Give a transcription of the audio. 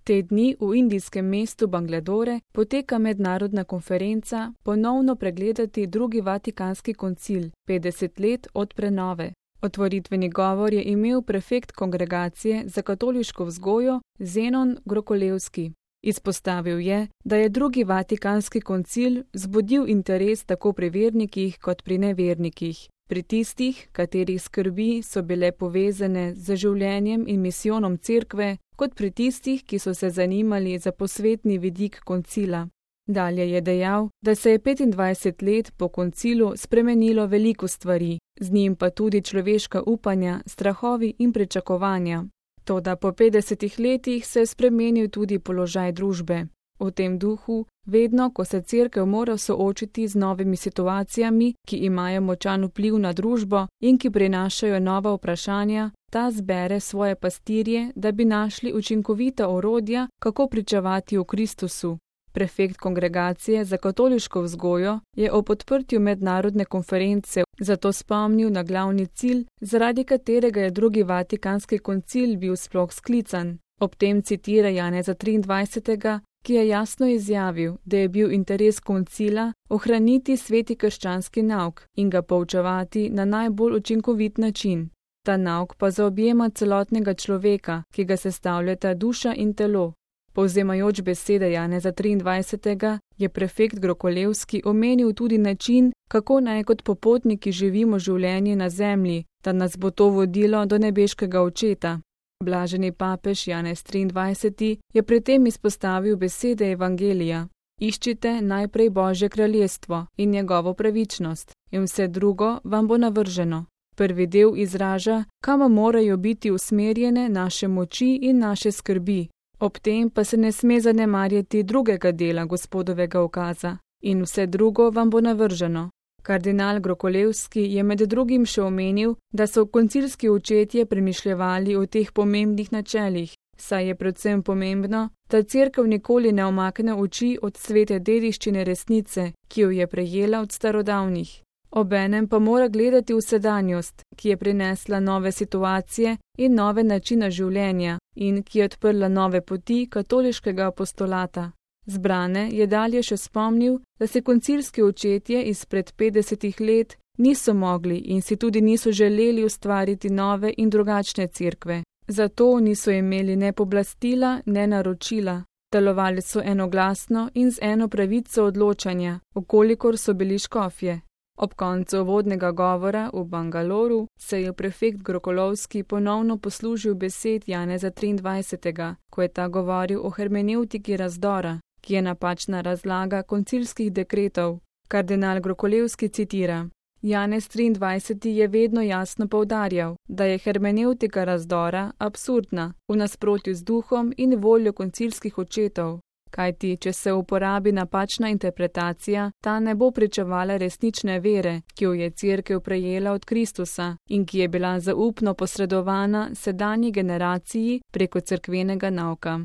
Te dni v indijskem mestu Bangladore poteka mednarodna konferenca ponovno pregledati drugi Vatikanski koncil, 50 let od prenove. Otvoritveni govor je imel prefekt Kongregacije za katoliško vzgojo Zenon Grokolevski. Izpostavil je, da je drugi Vatikanski koncil vzbudil interes tako pri vernikih kot pri nevernikih. Pri tistih, katerih skrbi so bile povezane z življenjem in misijonom cerkve, kot pri tistih, ki so se zanimali za posvetni vidik koncila. Dalje je dejal, da se je 25 let po koncilu spremenilo veliko stvari, z njim pa tudi človeška upanja, strahovi in pričakovanja. Toda po 50 letih se je spremenil tudi položaj družbe. V tem duhu, vedno, ko se cerkev mora soočiti z novimi situacijami, ki imajo močan vpliv na družbo in ki prinašajo nova vprašanja, ta zbere svoje pastirje, da bi našli učinkovita orodja, kako pričevati o Kristusu. Prefekt Kongregacije za katoliško vzgojo je ob odprtju mednarodne konference zato spomnil na glavni cilj, zaradi katerega je drugi Vatikanski koncil bil sploh sklican. Ob tem citira Janeza 23., ki je jasno izjavil, da je bil interes koncila ohraniti sveti krščanski nauk in ga poučevati na najbolj učinkovit način. Ta nauk pa zaobjema celotnega človeka, ki ga sestavljata duša in telo. Povzemajoč besede Janeza 23. je prefekt Grokolevski omenil tudi način, kako naj kot popotniki živimo življenje na zemlji, da nas bo to vodilo do nebeškega očeta. Blaženi papež Janez 23. je pri tem izpostavil besede Evangelija: Iščite najprej Božje kraljestvo in njegovo pravičnost, in vse drugo vam bo navrženo. Prvi del izraža, kam morajo biti usmerjene naše moči in naše skrbi. Ob tem pa se ne sme zanemarjati drugega dela Gospodovega ukaza: in vse drugo vam bo navrženo. Kardinal Grokolevski je med drugim še omenil, da so koncilski očetje premišljevali o teh pomembnih načelih, saj je predvsem pomembno, da cerkev nikoli ne omakne oči od svete dediščine resnice, ki jo je prejela od starodavnih. Obenem pa mora gledati v sedanjost, ki je prinesla nove situacije in nove načine življenja in ki je odprla nove poti katoliškega apostolata. Zbrane je dalje še spomnil, da se koncilski očetje izpred 50 let niso mogli in si tudi niso želeli ustvariti nove in drugačne cerkve. Zato niso imeli ne pooblastila, ne naročila. Delovali so enoglasno in z eno pravico odločanja, okolikor so bili škofje. Ob koncu uvodnega govora v Bangaloru se je prefekt Grokolovski ponovno poslužil besed Janeza 23., ko je ta govoril o hermenevtiki razdora, ki je napačna razlaga koncilskih dekretov. Kardinal Grokolevski citira: Janez 23. je vedno jasno poudarjal, da je hermenevtika razdora absurdna, v nasprotju z duhom in voljo koncilskih očetov. Kajti, če se uporabi napačna interpretacija, ta ne bo pričevala resnične vere, ki jo je cerkev prejela od Kristusa in ki je bila zaupno posredovana sedanji generaciji preko cerkvenega nauka.